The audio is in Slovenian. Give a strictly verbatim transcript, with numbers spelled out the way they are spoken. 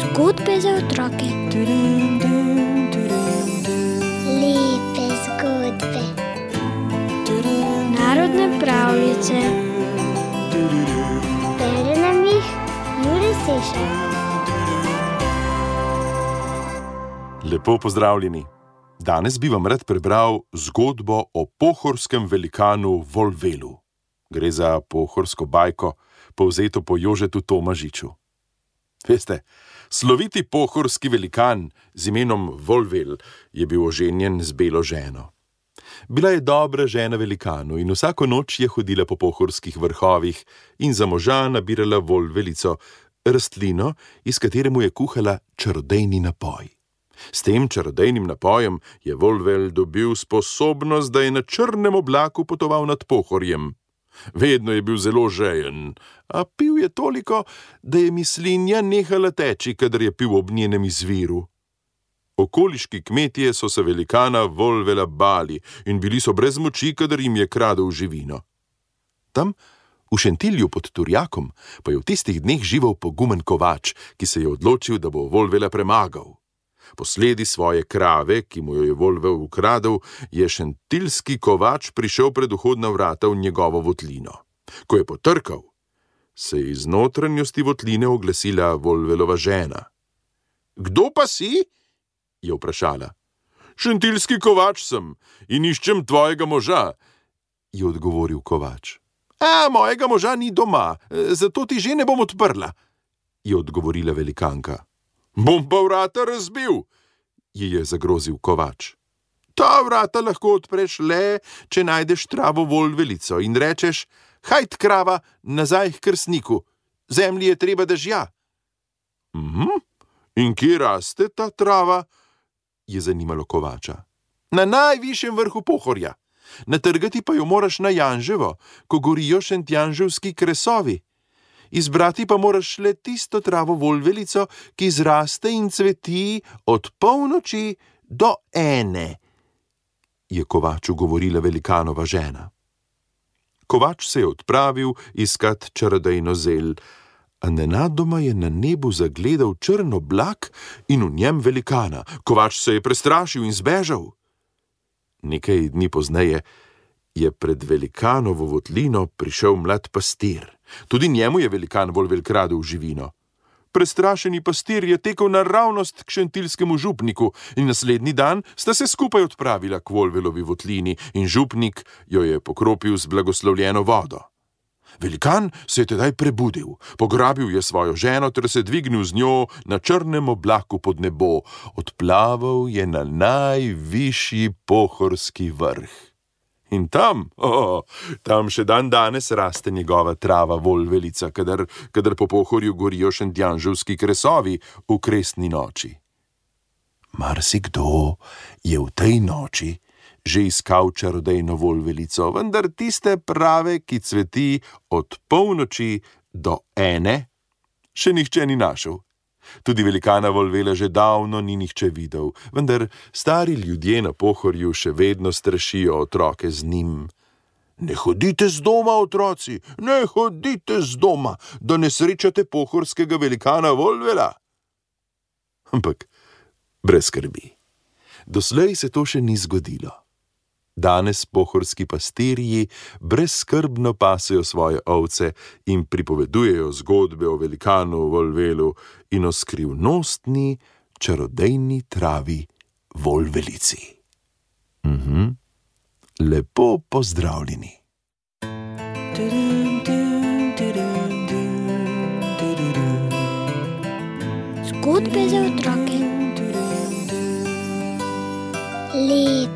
Zgodbe za otroke. Lepe zgodbe. Narodne pravljice. Bere nam jih Jure Sešar. Lepo pozdravljeni. Danes bi vam rad prebral zgodbo o pohorskem velikanu Volvelu. Gre za pohorsko bajko, povzeto po Jožetu Tomažiču. Veste, sloviti pohorski velikan z imenom Volvel je bil oženjen z belo ženo. Bila je dobra žena velikanu in vsako noč je hodila po pohorskih vrhovih in za moža nabirala volvelico, rastlino, iz katere mu je kuhala čarodejni napoj. S tem čarodejnim napojem je Volvel dobil sposobnost, da je na črnem oblaku potoval nad Pohorjem. Vedno je bil zelo žejen, a pil je toliko, da je mislinja nehala teči, kadar je pil ob njenem izviru. Okoliški kmetje so se velikana Volvela bali in bili so brez moči, kadar jim je kradel živino. Tam, v Šentilju pod Turjakom, pa je v tistih dneh živel pogumen kovač, ki se je odločil, da bo Volvela premagal. Posledi svoje krave, ki mu jo je Volvel ukradel, je šentilski kovač prišel pred vhodna vrata v njegovo votlino. Ko je potrkal, se je iz notranjosti votline oglasila Volvelova žena. "Kdo pa si?" je vprašala. "Šentilski kovač sem in iščem tvojega moža," je odgovoril kovač. "A, mojega moža ni doma, zato ti že ne bom odprla," je odgovorila velikanka. "Bom pa vrata razbil," ji je zagrozil kovač. "Ta vrata lahko odpreš le, če najdeš travo volvelico in rečeš: Hajt, krava, nazaj h krstniku, zemlji je treba dežja." "Mhm, in kje raste ta trava?" je zanimalo kovača. "Na najvišjem vrhu Pohorja. Natrgati pa jo moraš na Janževo, ko gorijo šentjanževski kresovi. Izbrati pa moraš le tisto travo volvelico, ki zraste in cveti od polnoči do ene," je kovaču govorila velikanova žena. Kovač se je odpravil iskat čarodejno zel, a nenadoma je na nebu zagledal črn oblak in v njem velikana. Kovač se je prestrašil in zbežal. Nekaj dni pozneje je pred velikanovo votlino prišel mlad pastir. Tudi njemu je velikan Volvel kradel živino. Prestrašeni pastir je tekel naravnost k šentilskemu župniku in naslednji dan sta se skupaj odpravila k Volvelovi votlini in župnik jo je pokropil z blagoslovljeno vodo. Velikan se je tedaj prebudil, pograbil je svojo ženo ter se dvignil z njo na črnem oblaku pod nebo. Odplaval je na najvišji pohorski vrh. In tam, oh, tam še dan danes raste njegova trava volvelica, kadar, kadar po Pohorju gorijo šentjanževski kresovi v kresni noči. Marsikdo je v tej noči že iskal čarodejno volvelico, vendar tiste prave, ki cveti od polnoči do ene, še nihče ni našel. Tudi velikana Volvela že davno ni nihče videl, vendar stari ljudje na Pohorju še vedno strašijo otroke z njim. "Ne hodite z doma, otroci, ne hodite z doma, da ne srečate pohorskega velikana Volvela." Ampak brez skrbi. Doslej se to še ni zgodilo. Danes pohorski pastirji brezskrbno pasejo svoje ovce in pripovedujejo zgodbe o velikanu Volvelu in o skrivnostni čarodejni travi volvelici. Mhm. Lepo pozdravljeni. Zgodbe za otroke. Lepe